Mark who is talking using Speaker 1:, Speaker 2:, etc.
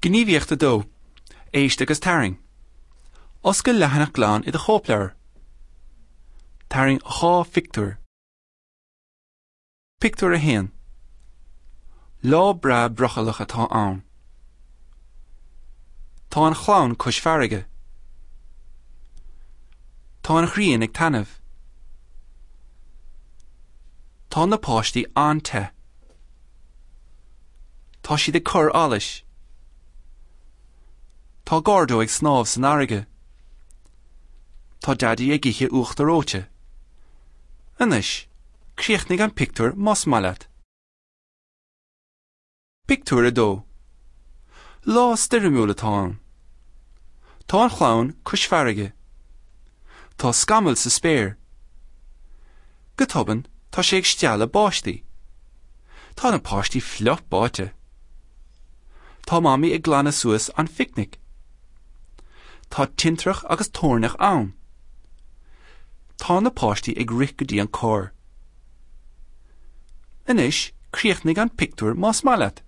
Speaker 1: Gníomhaíocht 2, Éist agus Tarraing. Oscail leathanach glan i do chóipleabhar. Tarraing 2 phictiúr. Pictiúr 1. Lá breá brothallach atá ann. Tá an chlann cois farraige. Tá an ghrian ag taitneamh. Tá na páistí an-te. Tá siad ag cur allais. Tá Gordo ag snámh san fharraige. Tá Daidí ag ithe uachtar reoite. Anois, críochnaigh an pictiúr más maith leat. Pictiúr 2. Lá stoirmiúil atá ann. Tá an chlann cois farraige. Tá scamaill sa spéir. Go tobann, tá sé ag stealladh báistí. Tá na páistí fliuch báite. Tá Mamaí ag glanadh suas an phicnic. Tá tintreach agus toirneach ann. Tá na páistí ag rith go dtí an carr. Anois, críochnaigh an pictiúr más maith leat.